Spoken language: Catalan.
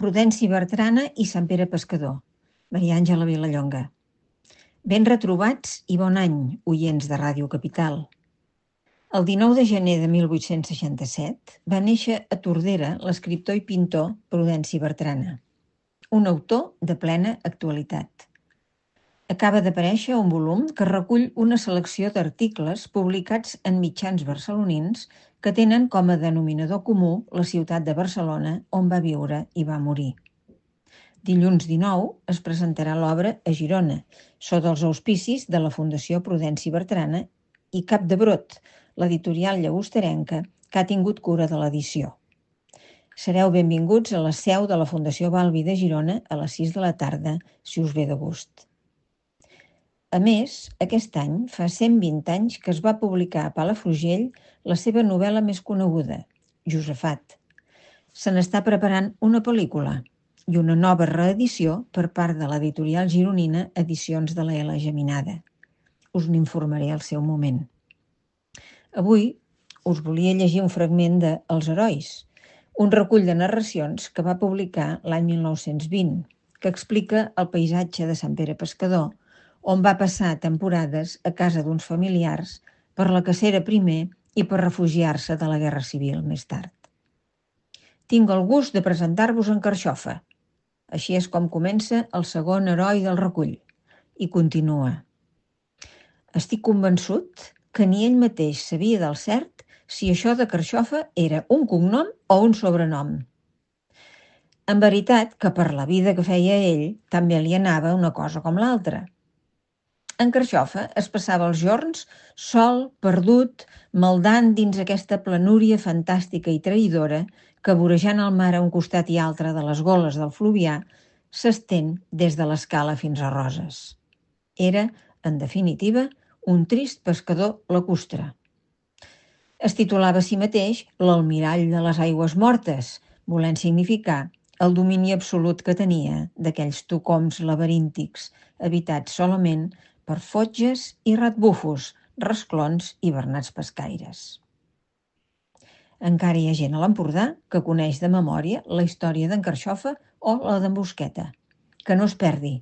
Prudenci Bertrana i Sant Pere Pescador. Maria Àngela Vilallonga. Ben retrobats i bon any, oients de Ràdio Capital. El 19 de gener de 1867 va néixer a Tordera l'escriptor i pintor Prudenci Bertrana, un autor de plena actualitat. Acaba d'aparèixer un volum que recull una selecció d'articles publicats en mitjans barcelonins que tenen com a denominador comú la ciutat de Barcelona, on va viure i va morir. Dilluns 19 es presentarà l'obra a Girona, sota els auspicis de la Fundació Prudenci Bertrana i Cap de Brot, l'editorial llagosterenca que ha tingut cura de l'edició. Sereu benvinguts a la seu de la Fundació Balbi de Girona a les 6 de la tarda, si us ve de gust. A més, aquest any fa 120 anys que es va publicar a Palafrugell la seva novel·la més coneguda, Josafat. Se n'està preparant una pel·lícula i una nova reedició per part de l'editorial gironina Edicions de la L. Geminada. Us n'informaré al seu moment. Avui us volia llegir un fragment de Els herois, un recull de narracions que va publicar l'any 1920, que explica el paisatge de Sant Pere Pescador, on va passar temporades a casa d'uns familiars per la cacera primer i per refugiar-se de la Guerra Civil més tard. Tinc el gust de presentar-vos en Carxofa. Així és com comença el segon heroi del recull. I continua. Estic convençut que ni ell mateix sabia del cert si això de Carxofa era un cognom o un sobrenom. En veritat que per la vida que feia ell també li anava una cosa com l'altra. En Carxofa es passava els jorns sol, perdut, maldant dins aquesta planúria fantàstica i traïdora que, vorejant el mar a un costat i altre de les goles del Fluvià, s'estén des de l'Escala fins a Roses. Era, en definitiva, un trist pescador lacustre. Es titulava a si mateix l'almirall de les aigües mortes, volent significar el domini absolut que tenia d'aquells tocoms laberíntics, habitats solament per fotges i ratbufos, rasclons i bernats pescaires. Encara hi ha gent a l'Empordà que coneix de memòria la història d'en Carxofa o la d'en Busqueta. Que no es perdi,